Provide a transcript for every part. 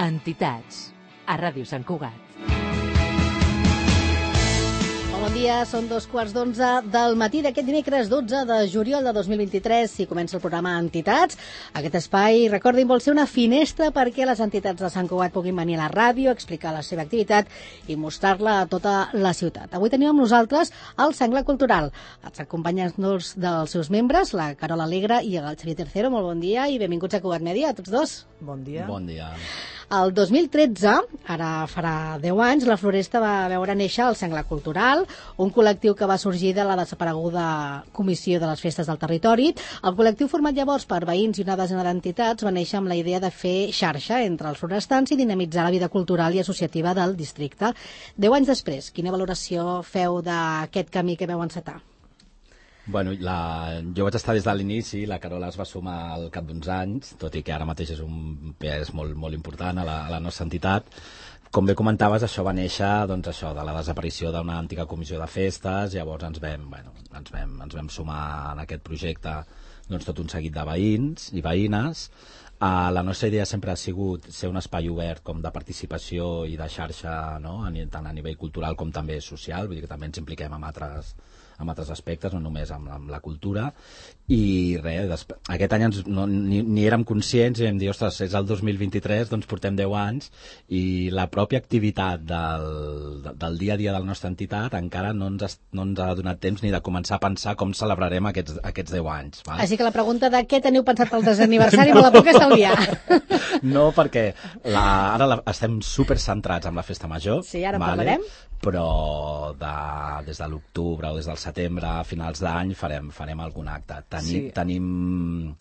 Entitats, a Ràdio Sant Cugat. Bon dia, són 2:15 del matí d'aquest dimecres 12 de juliol de 2023 i comença el programa Entitats. Aquest espai, recordin, vol ser una finestra perquè les entitats de Sant Cugat puguin venir a la ràdio, explicar la seva activitat i mostrar-la a tota la ciutat. Avui tenim amb nosaltres el Senglar Cultural. Els acompanyants dels seus membres, la Carola Alegre i el Xavier Tercero. Molt bon dia i benvinguts a Cugat Mèdia, a tots dos. Bon dia. Bon dia. El 2013, ara farà 10 anys, la Floresta va veure néixer el Senglar Cultural, un col·lectiu que va sorgir de la desapareguda Comissió de les Festes del Territori. El col·lectiu, format llavors per veïns i una desena d'entitats, va néixer amb la idea de fer xarxa entre els florestans i dinamitzar la vida cultural i associativa del districte. 10 anys després, quina valoració feu d'aquest camí que veu encetar? Bueno, jo vaig estar des de l'inici, la Carola es va sumar al cap d'uns anys, tot i que ara mateix és un pes molt, molt important a la nostra entitat. Com bé comentaves, això va néixer de la desaparició d'una antiga comissió de festes, llavors ens vam sumar en aquest projecte tot un seguit de veïns i veïnes. La nostra idea sempre ha sigut ser un espai obert com de participació i de xarxa, no? Tant a nivell cultural com també social, vull dir que també ens impliquem amb altres aspectes, no només amb la cultura. I res, aquest any ni érem conscients i vam dir, ostres, és el 2023, doncs portem 10 anys i la pròpia activitat del dia a dia de la nostra entitat encara no ens ha donat temps ni de començar a pensar com celebrarem aquests 10 anys. Val? Així que la pregunta de què teniu pensat pel desaniversari me la puc estalviar. No, perquè ara estem super centrats en la festa major. Sí, ara en parlarem. Però des de l'octubre o des del setembre a finals d'any farem algun acte. Tenim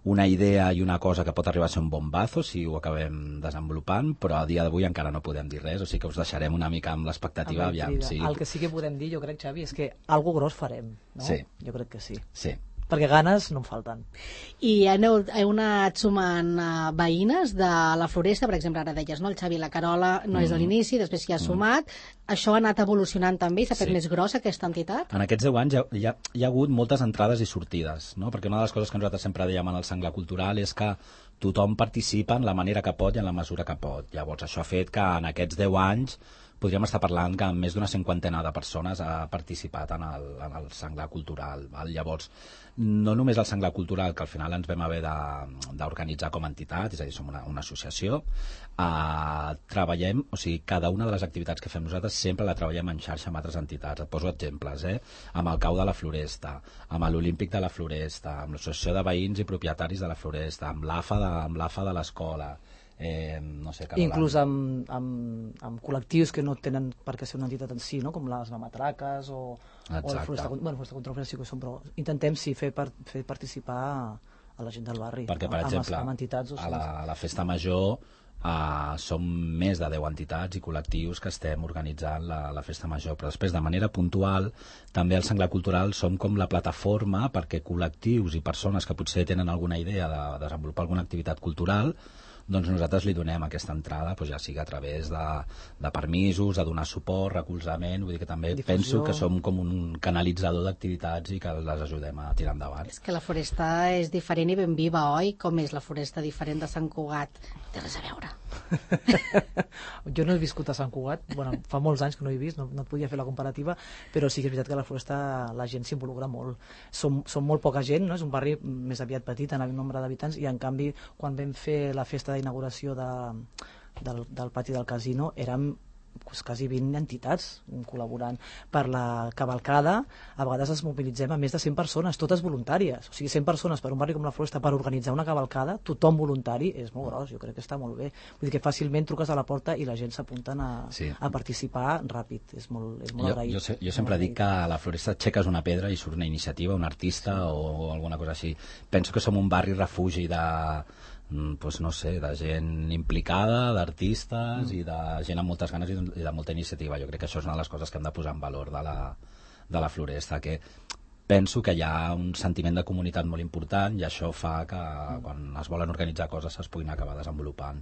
una idea i una cosa que pot arribar a ser un bombazo si ho acabem desenvolupant, però a dia d'avui encara no podem dir res, o sigui que us deixarem una mica amb l'expectativa. El que sí que podem dir, jo crec, Xavi, és que algo gros farem, no? Sí. Jo crec que sí. Sí. Perquè ganes no en falten. I heu anat sumant veïnes de la Floresta, per exemple, ara deies, no? El Xavi i la Carola no és de l'inici, després s'hi ha sumat. Això ha anat evolucionant també i s'ha fet més grossa aquesta entitat? En aquests 10 anys hi ha hagut moltes entrades i sortides, no? Perquè una de les coses que nosaltres sempre dèiem en el Senglar Cultural és que tothom participa en la manera que pot i en la mesura que pot. Llavors això ha fet que en aquests 10 anys podríem estar parlant que més d'una 50ena de persones ha participat en el Senglar Cultural. Llavors, no només el Senglar Cultural, que al final ens vam haver d'organitzar com a entitat, és a dir, som una associació, treballem, o sigui, cada una de les activitats que fem nosaltres sempre la treballem en xarxa amb altres entitats. Et poso exemples, amb el Cau de la Floresta, amb l'Olímpic de la Floresta, amb l'Associació de Veïns i Propietaris de la Floresta, amb l'AFA de l'escola, no sé, inclús amb col·lectius que no tenen per què ser una entitat en si, no? Com les mamatraques o la Floresta contra el sí que són, però intentem fer participar a la gent del barri, perquè, per exemple, amb entitats, a la festa major som més de 10 entitats i col·lectius que estem organitzant la festa major, però després de manera puntual també al Senglar Cultural som com la plataforma perquè col·lectius i persones que potser tenen alguna idea de desenvolupar alguna activitat cultural, doncs nosaltres li donem aquesta entrada, ja sigui a través de permisos, de donar suport, recolzament, vull dir que també penso que som com un canalitzador d'activitats i que les ajudem a tirar endavant. És que la Floresta és diferent i ben viva, oi? Com és la Floresta diferent de Sant Cugat? Té res a veure. Jo no he viscut a Sant Cugat, fa molts anys que no he vist, no et podia fer la comparativa, però sí que és veritat que a la Floresta la gent s'involucra molt. Som molt poca gent, no? És un barri més aviat petit en el nombre d'habitants i en canvi quan vam fer la festa d'inauguració del pati del casino érem quasi 20 entitats col·laborant per la cavalcada. A vegades ens mobilitzem a més de 100 persones, totes voluntàries, o sigui 100 persones per un barri com la Floresta per organitzar una cavalcada, tothom voluntari, és molt gros, jo crec que està molt bé, vull dir que fàcilment truques a la porta i la gent s'apunten a participar ràpid, és molt agraït. Jo sempre dic que a la Floresta aixeques una pedra i surt una iniciativa, un artista o alguna cosa així. Penso que som un barri refugi no sé, de gent implicada, d'artistes i de gent amb moltes ganes i de molta iniciativa. Jo crec que això és una de les coses que hem de posar en valor de la Floresta, que penso que hi ha un sentiment de comunitat molt important i això fa que quan es volen organitzar coses es puguin acabar desenvolupant.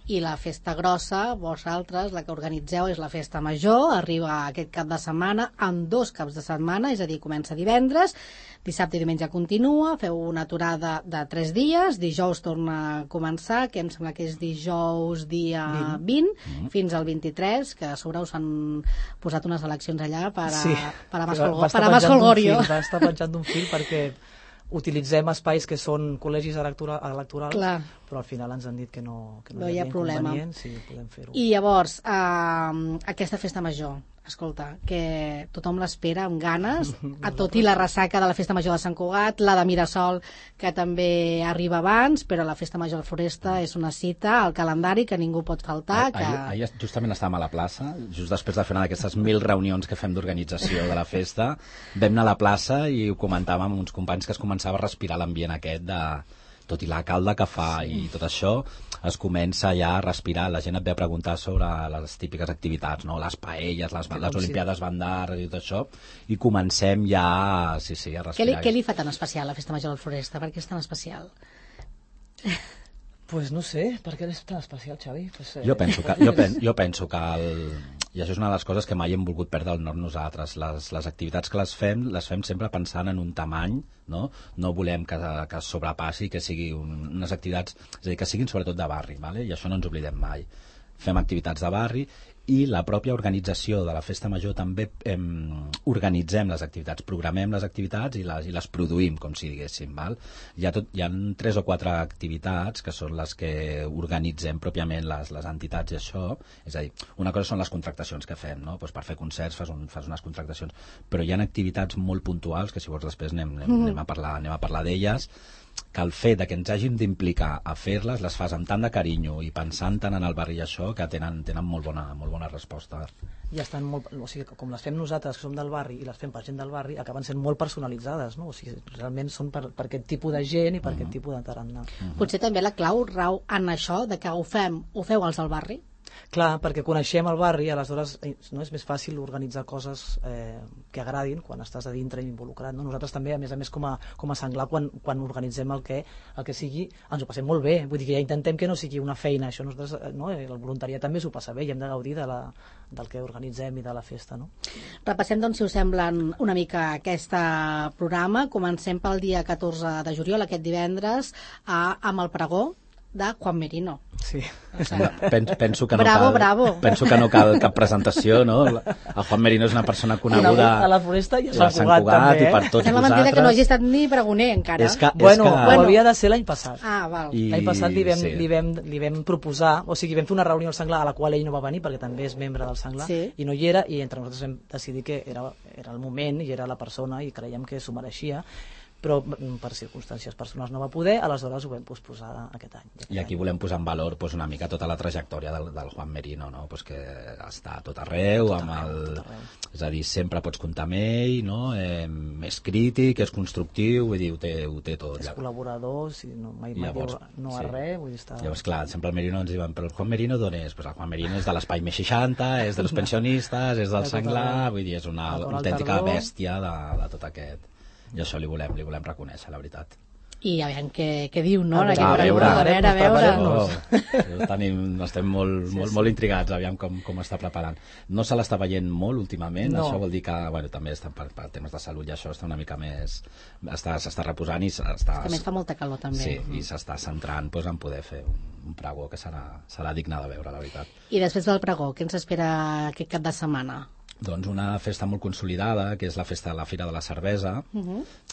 I la festa grossa, vosaltres, la que organitzeu, és la festa major, arriba aquest cap de setmana, en 2 caps de setmana, és a dir, comença divendres, dissabte i diumenge continua, feu una aturada de 3 dies, dijous torna a començar, que em sembla que és dijous dia 20, fins al 23, que a sobre us han posat unes eleccions allà per a Mas Holgorio. Va estar penjant d'un fil perquè utilitzem espais que són col·legis electorals, Clar. però al final ens han dit que no hi ha problema. Sí, podem fer-ho. I llavors, aquesta festa major, escolta, que tothom l'espera amb ganes, tot i la ressaca de la festa major de Sant Cugat, la de Mirasol, que també arriba abans, però la festa major de Foresta és una cita al calendari que ningú pot faltar. Ahir justament estàvem a la plaça, just després de fer una d'aquestes 1000 reunions que fem d'organització de la festa, vam anar a la plaça i ho comentàvem amb uns companys que es començava a respirar l'ambient aquest de... Tot i la calda que fa i tot això, es comença ja a respirar. La gent et ve a preguntar sobre les típiques activitats, no? Les paelles, les Olimpiades Bandar i tot això, i comencem ja a respirar. Què li fa tan especial la festa major del Foresta? Per què és tan especial? Pues no sé, per què és tan especial, Xavi? Jo penso que i això és una de les coses que mai hem volgut perdre el nord nosaltres. Les activitats que les fem sempre pensant en un tamany, no? No volem que sobrepassi, que sigui unes activitats, és a dir, que siguin sobretot de barri, ¿vale? I això no ens oblidem mai. Fem activitats de barri i la pròpia organització de la festa major també organitzem les activitats, programem les activitats i les produïm, com si diguéssim. Val? Hi ha 3 o 4 activitats que són les que organitzem pròpiament les entitats i això, és a dir, una cosa són les contractacions que fem, no? Pues per fer concerts fas unes contractacions, però hi ha activitats molt puntuals que si vols després anem a parlar d'elles, que el fet que ens hàgim d'implicar a fer-les, les fas amb tant de carinyo i pensant tant en el barri i això, que tenen molt bona resposta. I estan molt, o sigui, com les fem nosaltres, que som del barri, i les fem per gent del barri, acaben sent molt personalitzades, no? O sigui, realment són per aquest tipus de gent i per aquest tipus de tarannà. Potser també la clau rau en això, de que ho feu els del barri? Clar, perquè coneixem el barri, aleshores no és més fàcil organitzar coses que agradin quan estàs a dintre involucrat. No? Nosaltres també, a més, com a Senglar, quan organitzem el que sigui, ens ho passem molt bé. Vull dir que ja intentem que no sigui una feina. Això nosaltres, no? El voluntariat també s'ho passa bé i hem de gaudir del que organitzem i de la festa. No? Repassem, doncs, si us semblen una mica aquest programa. Comencem pel dia 14 de juliol, aquest divendres, amb el pregó de Juan Merino. Sí. O sigui, penso que no bravo. Penso que no cal cap presentació, no? El Juan Merino és una persona coneguda a la Foresta i a Sant Cugat també, i per tots sembla vosaltres. mentida que no hagi estat ni pregoner encara. Bueno, havia de ser l'any passat. Val. L'any passat li vam proposar, o sigui, vam fer una reunió al Senglar a la qual ell no va venir perquè també és membre del Senglar, i no hi era, i entre nosaltres vam decidir que era el moment i era la persona i creiem que s'ho mereixia, però per circumstàncies personals no va poder, aleshores ho vam posposar aquest any. I aquí volem posar en valor una mica tota la trajectòria del Juan Merino, no? Que està a tot arreu, és a dir, sempre pots comptar amb ell, no? És crític, és constructiu, vull dir, ho té tot. És col·laborador, mai diu no a res, vull dir, està... Llavors, clar, sempre el Merino ens diuen, però el Juan Merino d'on és? Pues el Juan Merino és de l'Espai Més 60, és dels pensionistes, és del Senglar, vull dir, és una autèntica bèstia de tot aquest. I això li volem reconèixer, la veritat. I a veure què diu, no? A veure. Estem molt intrigats, aviam com està preparant. No se l'està veient molt últimament, això vol dir que també està per temes de salut i això està una mica més... S'està reposant i s'està... També fa molta calor, també. Sí, i s'està centrant en poder fer un pregó que serà digne de veure, la veritat. I després del pregó, què ens espera aquest cap de setmana? Doncs una festa molt consolidada, que és la festa de la Fira de la Cervesa.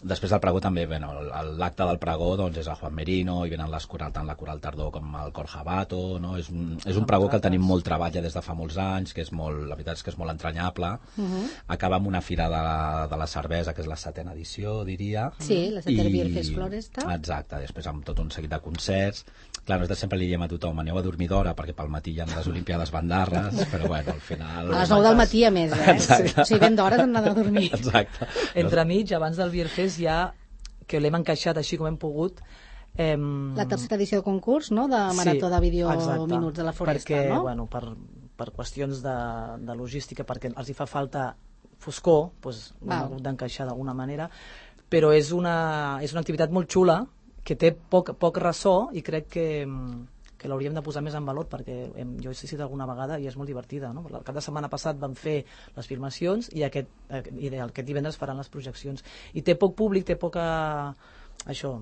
Després del pregó també, l'acte del pregó doncs, és el Juan Merino, i venen tant la Coral Tardor com el Cor Jabato, no? És un pregó que el tenim molt treball des de fa molts anys, que la veritat és que és molt entranyable. Acaba amb una Fira de la Cervesa, que és la 7ª edició, diria. Sí, la 7ª Bierfest Floresta. Exacte, després amb tot un seguit de concerts. Clar, nosaltres sempre li diem a tothom, aneu a dormir d'hora, perquè pel matí hi ha les Olimpiades Bandarres, però bueno, al final... A les 9 del matí, a més, Exacte. O sigui, ben d'hores hem d'anar a dormir. Exacte. Entremig, abans del Bierfest, ja que l'hem encaixat així com hem pogut... La 3ª edició de concurs, no?, de marató de vídeo minuts de la Foresta, perquè, no? Bueno, per qüestions de logística, perquè els hi fa falta foscor, doncs ho hem hagut d'encaixar d'alguna manera, però és una activitat molt xula, que té poc ressò, i crec que que l'hauríem de posar més en valor, perquè jo he assistit alguna vegada i és molt divertida, no? El cap de setmana passat vam fer les filmacions i aquest divendres faran les projeccions, i té poc públic, té poca això,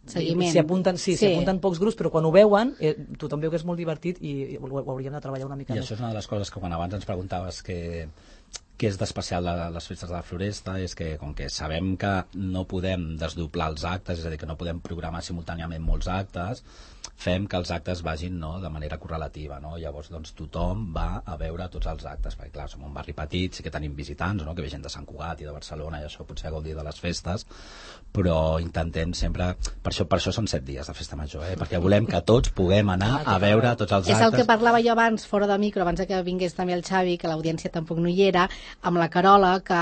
seguiment. S'hi apunten pocs grups, però quan ho veuen tothom veu que és molt divertit i ho hauríem de treballar una mica I més. això és una de les coses que quan abans ens preguntaves què és d'especial de les festes de la Floresta, és que com que sabem que no podem desdoblar els actes, és a dir, que no podem programar simultàniament molts actes, fem que els actes vagin, no, de manera correlativa, no? Llavors doncs, tothom va a veure tots els actes, perquè clar, som un barri petit, sí que tenim visitants, no? Que ve gent de Sant Cugat i de Barcelona, i això potser gaudir de les festes, però intentem sempre, per això són 7 dies de festa major, perquè volem que tots puguem anar a veure tots els actes. És el que parlava jo abans, fora de micro, abans que vingués també el Xavi, que l'audiència tampoc no hi era, amb la Carola, que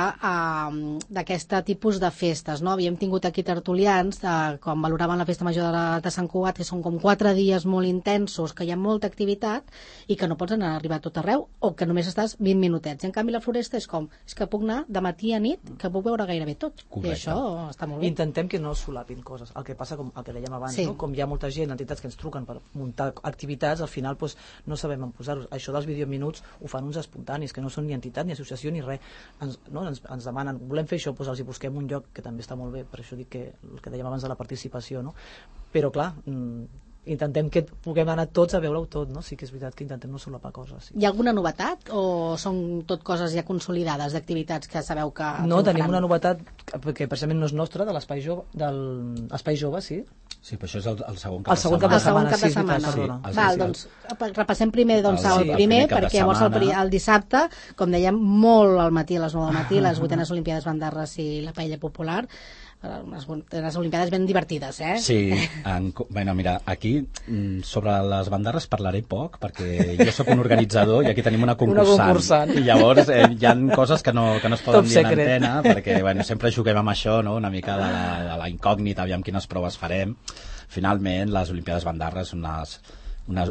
d'aquest tipus de festes, no? Havíem tingut aquí tertulians, quan valoraven la festa major de Sant Cugat, que són com 4 dies molt intensos, que hi ha molta activitat i que no pots anar a arribar a tot arreu, o que només estàs 20 minutets. I en canvi la Floresta és que puc anar de matí a nit, que puc veure gairebé tot. Correcte. I això està molt bé. Intentem que no solapin coses. El que passa, com el que dèiem abans, Sí. no? Com hi ha molta gent, entitats que ens truquen per muntar activitats, al final doncs, no sabem on posar-los. Això dels videominuts ho fan uns espontanis, que no són ni entitat, ni associació, ni res. Ens demanen, volem fer això, doncs els hi busquem un lloc, que també està molt bé, per això dic que el que dèiem abans de la participació, no? Però clar, intentem que puguem anar tots a veure-ho tot, no? Sí que és veritat que intentem no solapar coses. Sí. Hi ha alguna novetat o són tot coses ja consolidades d'activitats que sabeu que No, tenim faran? una novetat que precisament no és nostra, de l'Espai Jove, l'Espai Jove, sí. Sí, però això és el segon cap El segon cap El de segon setmana, cap sí, de és veritat, setmana. perdona. Val, doncs repassem primer El el primer, primer cap de perquè llavors setmana. el dissabte, com dèiem, molt al matí, a les 9 del matí, les 8enes Olimpiades Bandarres i la paella popular, unes Olimpiades ben divertides, eh? Sí, bueno, mira, aquí sobre les bandarres parlaré poc, perquè jo sóc un organitzador i aquí tenim una concursant. I llavors hi ha coses que no es poden Top dir en secret. antena, perquè bueno, sempre juguem amb això, no? Una mica de la incògnita, aviam quines proves farem. Finalment, les Olimpiades Bandarres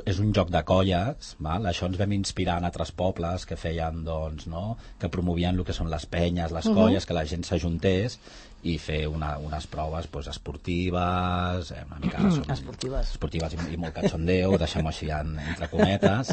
és un joc de colles, val? Això ens vam inspirar en altres pobles que feien, doncs, no? Que promovien el que són les penyes, les colles, que la gent s'ajuntés i fer unes proves doncs, esportives, una mica esportives i molt cachondeo, deixem-ho així entre cometes,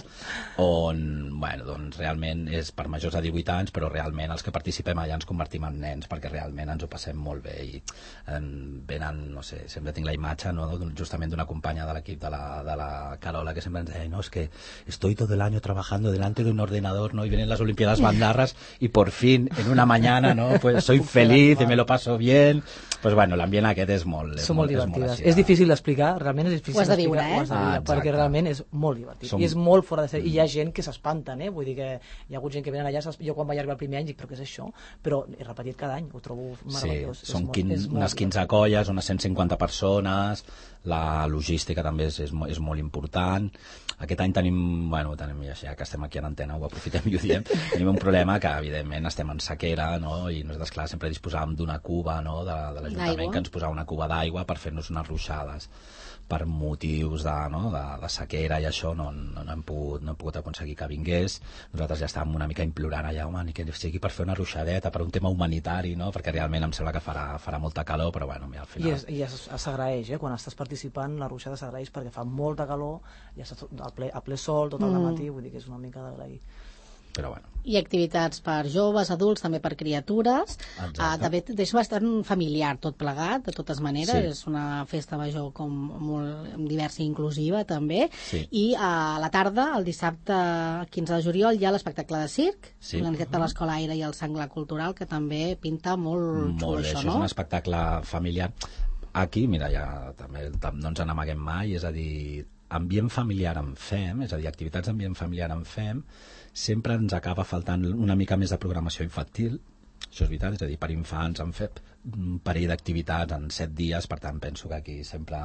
on bueno, doncs, realment és per majors de 18 anys, però realment els que participem allà ens convertim en nens, perquè realment ens ho passem molt bé i venen, no sé, sempre tinc la imatge, no? Justament d'una companya de l'equip de la Carola, que sempre ens deia, no, es que estoy todo el año trabajando delante de un ordenador, ¿no? Y vienen las Olimpiadas Bandarras y por fin, en una mañana, ¿no? Pues soy feliz y me lo paso bien. Pues bueno, l'ambient aquest és molt... Són molt divertides. així És difícil d'explicar, realment és difícil Ho has de viure, d'explicar, ho has de viure, exacte. perquè realment és molt divertit. I és molt fora de sèrie. I hi ha gent que s'espanten, vull dir que hi ha hagut gent que venen allà, jo quan vaig arribar el primer any dic, però què és això? Però he repetit cada any, ho trobo meravellós. Sí, són unes 15 colles, unes 150 persones, la logística també és molt important. Aquest any tenim, ja que estem aquí en antena, ho aprofitem i ho diem, tenim un problema que evidentment estem en sequera, no? I nosaltres, clar, sempre disposàvem d'una cuba, no? de l'Ajuntament, que ens posava una cuba d'aigua per fer-nos unes ruixades. Per motius de sequera i això no hem pogut aconseguir que vingués. Nosaltres ja estàvem una mica implorant allà, home, ni que sigui per fer una ruixadeta, per un tema humanitari, no? Perquè realment em sembla que farà molta calor, però bueno, mira, al final... I s'agraeix, quan estàs participant, la ruixada s'agraeix perquè fa molta calor, ja estàs a ple sol tot el matí, vull dir que és una mica d'agrair. Però bueno. I activitats per joves, adults, també per criatures. També és bastant familiar tot plegat, de totes maneres. Sí. És una festa major com molt diversa i inclusiva, també. Sí. I a la tarda, el dissabte 15 de juliol, hi ha l'espectacle de circ, organitzat per l'Escola Aire i el Senglar Cultural, que també pinta molt xulo, això, no? És un espectacle familiar. Aquí, mira, ja també no ens n'amaguem mai, és a dir, ambient familiar en fem, és a dir, activitats d'ambient familiar en fem, sempre ens acaba faltant una mica més de programació infantil, això és veritat, és a dir, per infants han fet un parell d'activitats en 7 dies, per tant penso que aquí sempre...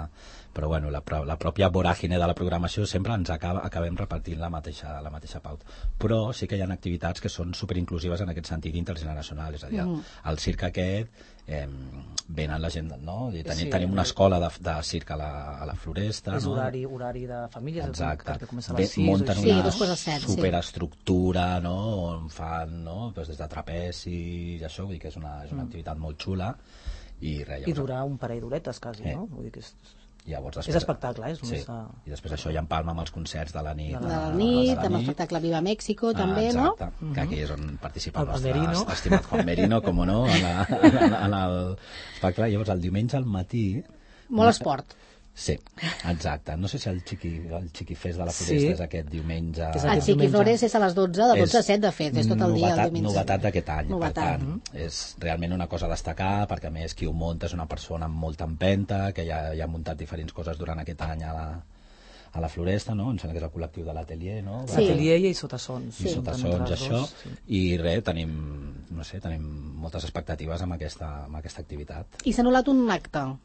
Però bueno, la pròpia voràgine de la programació sempre ens acabem repartint la mateixa pauta. Però sí que hi ha activitats que són superinclusives en aquest sentit intergeneracional, és a dir, el circ aquest venen la gent, no? Tenim una escola de circ a la Floresta, és no? horari de famílies. Exacte. Que comença a les 6 munten Sí, una 2:07, superestructura, no? On fan, no? Pues des de trapezi i això, vull dir que és una activitat molt xula i res, I durar un parell d'horetes quasi, no? Vull dir que és... Llavors, És espectacle, és només... I després això ja empalma amb els concerts de la nit. De la nit, amb l'espectacle Viva México, també, no? Exacte, que aquí és on participa el nostre Merino. estimat Juan Merino, com no, en l'espectacle. Llavors, el diumenge al matí... Molt esport. Sí, exacte. No sé si el Chiqui Fest de la Floresta és aquest diumenge... El Chiqui Flores és a les 12, de 12 a 7, de fet, és tot el dia el diumenge. Novetat d'aquest any, per tant, és realment una cosa a destacar, perquè a més qui ho munta és una persona amb molta empenta, que ja ha muntat diferents coses durant aquest any a la Floresta, no? Em sembla que és el col·lectiu de l'Atelier, no? Sí. L'Atelier i Sotasons. I Sotasons, això. I res, tenim moltes expectatives amb aquesta activitat. I s'ha anul·lat un acte, no?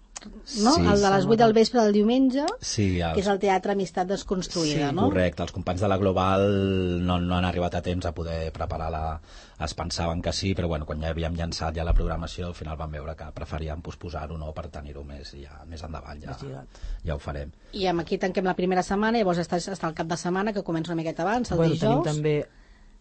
Sí, el de les 8 del vespre del diumenge, que és el Teatre Amistat Desconstruïda, no? Sí, correcte. Els companys de la Global no han arribat a temps a poder preparar es pensaven que sí, però bueno, quan ja havíem llançat ja la programació, al final vam veure que preferíem posposar-ho, no, per tenir-ho més endavant, ja ho farem. I aquí tanquem la primera setmana, llavors està el cap de setmana, que comença una miqueta abans, el dijous. Tenim també...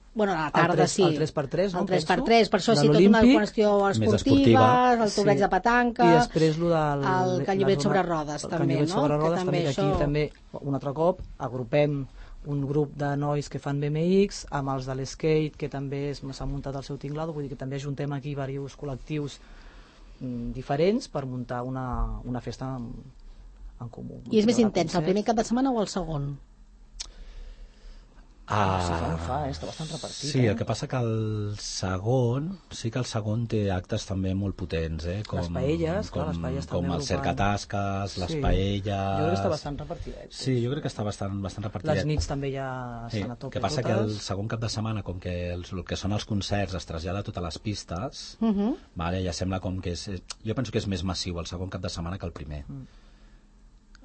Bueno, a la tarda, sí. El 3x3, no? El 3x3, per això sí, tota una qüestió esportiva, el torneig de petanca... I després el canyobret sobre rodes, també, no? El canyobret sobre rodes, també, que aquí també, un altre cop, agrupem un grup de nois que fan BMX, amb els de l'skate, que també s'ha muntat el seu tinglado, vull dir que també ajuntem aquí diversos col·lectius diferents per muntar una festa en comú. I és més intens, el primer cap de setmana o el segon? Està bastant repartit. Sí, el que passa que el segon té actes també molt potents, com les paelles, també com el cercatasques, les paelles... Jo crec que està bastant repartidet. Sí, jo crec que està bastant repartidet. Les nits també ja estan a tope. El que passa que el segon cap de setmana, com que el que són els concerts es trasllada a totes les pistes, ja sembla com que és... Jo penso que és més massiu el segon cap de setmana que el primer.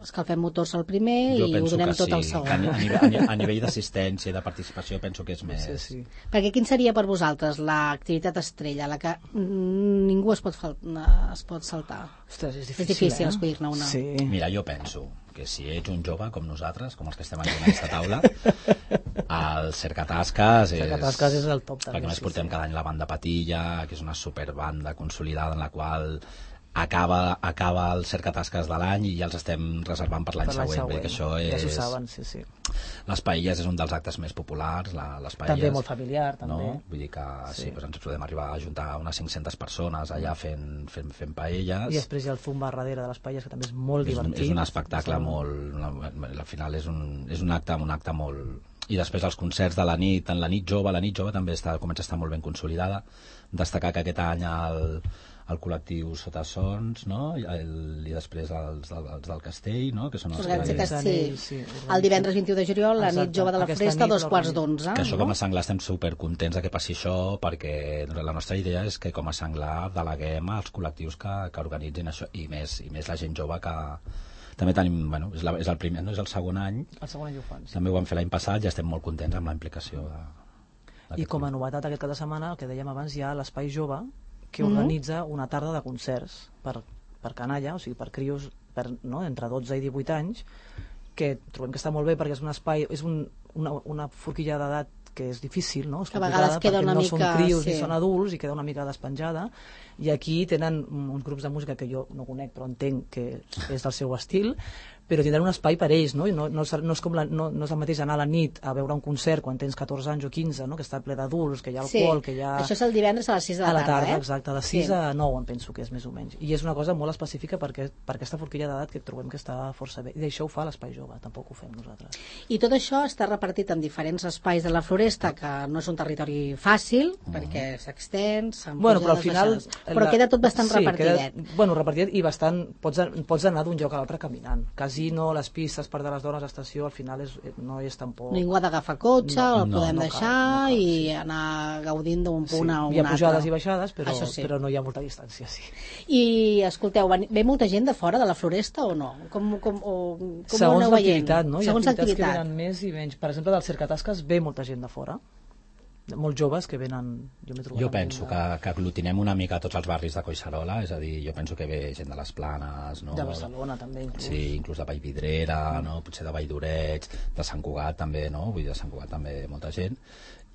Escalfem motors al primer i ho donem tot al segon. A nivell d'assistència i de participació penso que és més... Sí. Perquè quin seria per vosaltres l'activitat estrella, la que ningú es pot saltar? Ostres, és difícil escollir-ne una. Sí. Mira, jo penso que si ets un jove com nosaltres, com els que estem aquí en aquesta taula, el cercatasques és el top. Perquè més portem cada any la banda Patilla, que és una superbanda consolidada en la qual acaba el cercatasques de l'any i ja els estem reservant per l'any següent, perquè això és... Ja s'ho saben, sí. Les paelles és un dels actes més populars, les paelles... També molt familiar, també. No? Vull dir que doncs ens podem arribar a ajuntar unes 500 persones allà fent paelles. I després hi ha el zumba darrere de les paelles, que també és molt divertit. És un espectacle molt... Al final és un acte molt... I després els concerts de la nit, en la nit jove també comença a estar molt ben consolidada. Destacar que aquest any el col·lectiu Sotasons, no? I després els del Castell, no? Que són els el divendres 21 de juliol, la nit jove de la Floresta, 2:15. Que això com a Senglar estem supercontents que passi això, perquè la nostra idea és que com a Senglar deleguem als col·lectius que organitzin això, i més la gent jove que... També tenim, és el primer, no és el segon any. El segon any ho fan. També ho vam fer l'any passat i estem molt contents amb la implicació I com a novetat aquest cap de setmana, el que dèiem abans, hi ha l'Espai Jove, que organitza una tarda de concerts per canalla, o sigui, per crios entre 12 i 18 anys, que trobem que està molt bé perquè és un espai, és una forquilla d'edat que és difícil, no? Que a vegades queda una mica... No són crios ni són adults i queda una mica despenjada, i aquí tenen uns grups de música que jo no conec però entenc que és del seu estil, però tindran un espai per ells, no? I no és el mateix anar a la nit a veure un concert quan tens 14 anys o 15, no? Que està ple d'adults, que hi ha alcohol, que hi ha... Això és el divendres a les 6 de la tarda, exacte, de 6 a 9 em penso que és més o menys. I és una cosa molt específica per aquesta forquilla d'edat que trobem que està força bé. I això ho fa l'Espai Jove, tampoc ho fem nosaltres. I tot això està repartit en diferents espais de la Floresta, que no és un territori fàcil, perquè s'extens, però al final... Però queda tot bastant repartidet. Repartidet i bastant... Pots anar d'un lloc a l'altre caminant. Casino, les pistes per de les dones, estació, al final no és tampoc... Ningú ha d'agafar cotxe, el podem deixar i anar gaudint d'un punt a un altre. Hi ha pujades i baixades, però no hi ha molta distància, sí. I, escolteu, ve molta gent de fora de la Floresta o no? Com segons ho aneu veient? L'activitat, no? Segons hi ha activitats que venen més i menys. Per exemple, del cercatasques ve molta gent de fora. Molts joves que venen... Jo penso que aglutinem una mica tots els barris de Collserola, és a dir, jo penso que ve gent de les Planes, no? De Barcelona també, inclús. Sí, inclús de Vallvidrera, no? Potser de Valldoreix, de Sant Cugat també, no? Vull dir, de Sant Cugat també molta gent.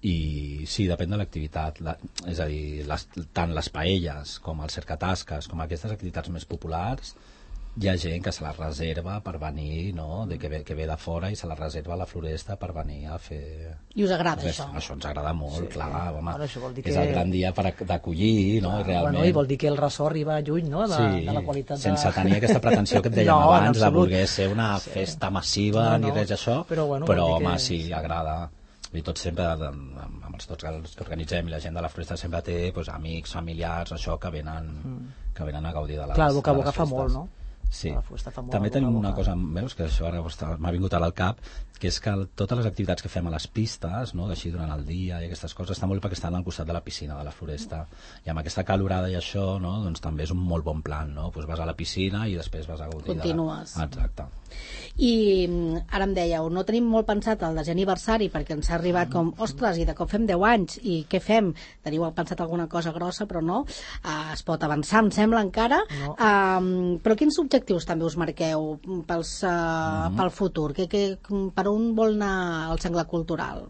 I sí, depèn de l'activitat, és a dir, tant les paelles com els cercatasques, com aquestes activitats més populars, hi ha gent que se la reserva per venir, no? Que ve de fora i se la reserva a la Floresta per venir a fer... I us agrada això? Això ens agrada molt, clar, home. Això vol dir És el gran dia d'acollir, no? Realment. I vol dir que el ressò arriba lluny, no? De la qualitat sense tenir aquesta pretensió que et dèiem abans de voler ser una festa massiva ni res d'això, però home, sí, agrada. I tots sempre, amb els tots els que organitzem i la gent de la Floresta sempre té amics, familiars, això, que venen a gaudir de les festes. Clar, el boca a boca fa molt, no? Sí. També tenim una cosa, veus, que això ara m'ha vingut ara al cap, que és que totes les activitats que fem a les pistes, no, així durant el dia i aquestes coses, està molt perquè estan al costat de la piscina de la Floresta, i amb aquesta calorada i això, no, doncs també és un molt bon plan, no? Pues vas a la piscina i després vas a gaudir. Continues. Exacte. I ara em dèieu, no tenim molt pensat el desè aniversari perquè ens ha arribat com, ostres, i de cop fem 10 anys, i què fem? Teniu pensat alguna cosa grossa, però no. Es pot avançar, em sembla, encara. No. Però quins objectius també us marqueu pel futur? Per on vol anar el Senglar Cultural?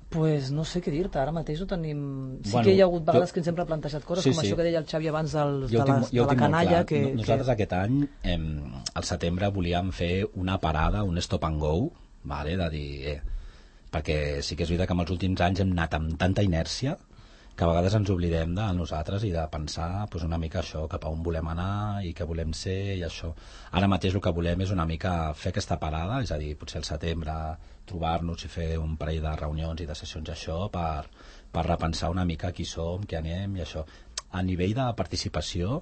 Pues no sé què dir-te, ara mateix ho tenim... Sí que hi ha hagut vegades que ens hem replantejat coses, com això que deia el Xavi abans de la canalla. Nosaltres aquest any, al setembre, volíem fer una parada, un stop and go, vale, de dir... perquè sí que és veritat que en els últims anys hem anat amb tanta inèrcia que a vegades ens oblidem de nosaltres i de pensar una mica això, cap a on volem anar i què volem ser i això. Ara mateix el que volem és una mica fer aquesta parada, és a dir, potser al setembre trobar-nos i fer un parell de reunions i de sessions això per repensar una mica qui som, què anem i això. A nivell de participació,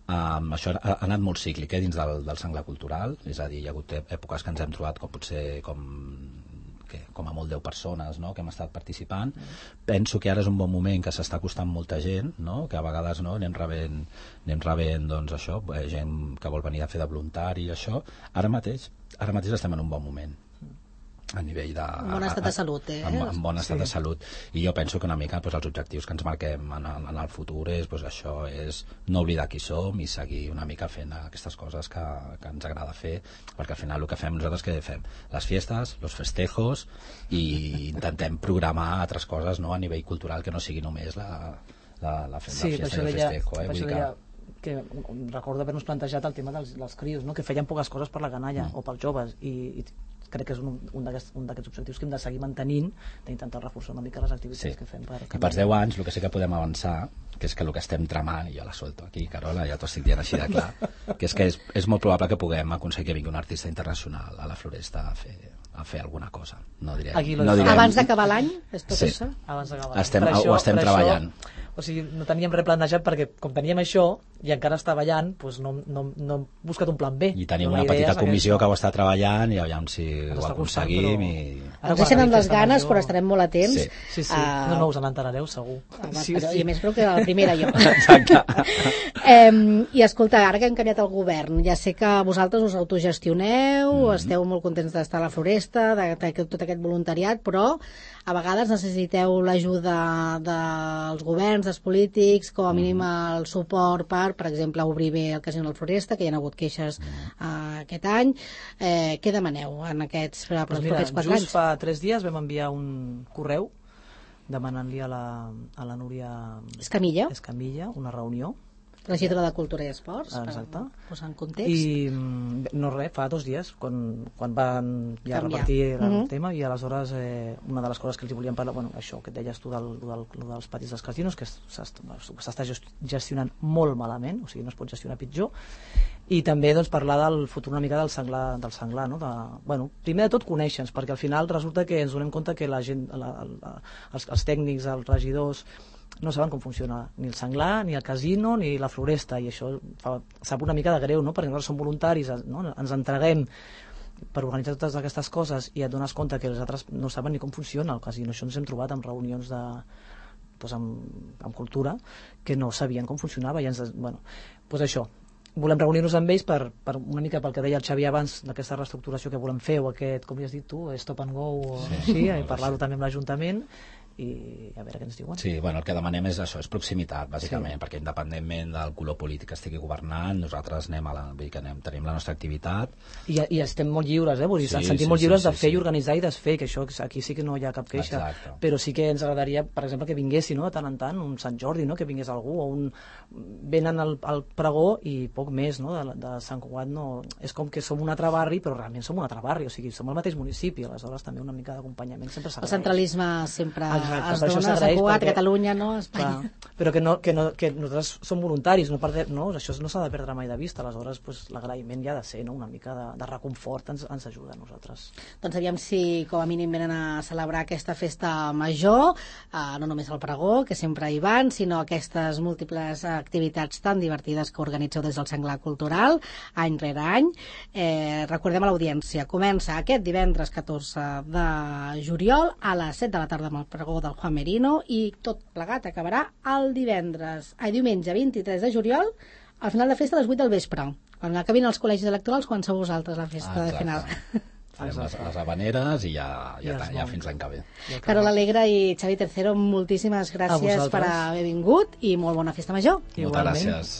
això ha anat molt cíclic dins del Senglar Cultural, és a dir, hi ha hagut èpoques que ens hem trobat com a molt 10 persones, no?, que hem estat participant. Penso que ara és un bon moment, que s'està costant molta gent, no?, que a vegades anem rebent doncs això, gent que vol venir a fer de voluntari i això. Ara mateix estem en un bon moment a nivell de... En bon estat de salut, En bon estat de salut. I jo penso que una mica els objectius que ens marquem en el futur és això, és no oblidar qui som i seguir una mica fent aquestes coses que ens agrada fer, perquè al final el que fem nosaltres, què fem? Les fiestes, los festejos, i intentem programar altres coses, no?, a nivell cultural, que no sigui només la fiesta i el festejo. Vull dir que recordo haver-nos plantejat el tema dels crios, no?, que feien poques coses per la canalla o pels joves, i crec que és un d'aquests objectius que hem de seguir mantenint, d'intentar reforçar una mica les activitats que fem. I pels 10 anys el que sí que podem avançar, que és que el que estem tramant, i jo la solto aquí, Carola, ja t'ho estic dient així de clar, que és molt probable que puguem aconseguir que vingui un artista internacional a la Floresta a fer alguna cosa. No direm. Abans d'acabar l'any? És tot això? Abans d'acabar l'any. Ho estem treballant. O sigui, no teníem res planejat perquè com teníem això i encara està ballant, doncs no hem buscat un plan B. I tenim una petita comissió que ho està treballant i aviam si ho aconseguim. Ens deixen amb les ganes, però estarem molt atents. Sí. No us n'enterareu, segur. I a més, però que la primera jo. Exacte. I escolta, ara que hem canviat el govern, ja sé que vosaltres us autogestioneu, esteu molt contents d'estar a la Floresta, de tot aquest voluntariat, però a vegades necessiteu l'ajuda dels governs, dels polítics, com a mínim el suport per exemple, obrir bé el Casino de la Floresta, que hi ha hagut queixes aquest any. Què demaneu en aquests propers 4 anys? Just fa 3 dies vam enviar un correu demanant-li a la Núria Escamilla una reunió, regidora de Cultura i Esports, exacte, per posar en context. I no res, fa 2 dies quan van ja repartir el tema, i aleshores una de les coses que els volíem parlar, això que et deies tu dels patis dels casinos, que s'està gestionant molt malament, o sigui, no es pot gestionar pitjor, i també parlar del futur una mica del senglar, no? Primer de tot conèixer-nos, perquè al final resulta que ens donem compte que la gent, els tècnics, els regidors, no saben com funciona ni el senglar, ni el casino, ni la Floresta, i això sap una mica de greu, no? Perquè nosaltres som voluntaris, no? Ens entreguem per organitzar totes aquestes coses i et dones compte que els altres no saben ni com funciona el casino. Això ens hem trobat en reunions amb cultura que no sabien com funcionava, i això, volem reunir-nos amb ells per una mica pel que deia el Xavi abans, d'aquesta reestructuració que volem fer, o aquest, com li has dit tu, stop and go, o així, i parlar-ho també amb l'Ajuntament, i a veure què ens diuen. Sí, bueno, el que demanem és això, és proximitat, bàsicament, perquè independentment del color polític que estigui governant, nosaltres vull dir que tenim la nostra activitat. I estem molt lliures, vull dir, ens sentim molt lliures de fer i organitzar i desfer, que això aquí sí que no hi ha cap queixa. Exacte. Però sí que ens agradaria, per exemple, que vinguessin, no?, de tant en tant, un Sant Jordi, no?, que vingués algú, o venen al pregó i poc més, no?, de Sant Cugat, no, és com que som un altre barri, però realment som un altre barri, o sigui, som el mateix municipi, aleshores també una mica d'acompanyament sempre s'agraeix. El centralisme sempre Exacte, es dona, Sant Cugat, Catalunya, no? Espanya. Però que nosaltres som voluntaris, això no s'ha de perdre mai de vista, aleshores l'agraïment ja ha de ser, no?, una mica de reconfort, ens ajuda a nosaltres. Doncs aviam si com a mínim venen a celebrar aquesta festa major, no només el pregó, que sempre hi van, sinó aquestes múltiples activitats tan divertides que organitzeu des del Senglar Cultural, any rere any. Recordem a l'audiència, comença aquest divendres 14 de juliol a les 7 de la tarda amb el pregó del Juan Merino i tot plegat acabarà el diumenge 23 de juliol, al final de festa a les 8 del vespre. Quan acabin els col·legis electorals, quan sou vosaltres la festa de final. Farem les habaneres i ja fins l'any que ve. Carola Alegre i Xavi Tercero, moltíssimes gràcies per haver vingut i molt bona festa major. Moltes gràcies.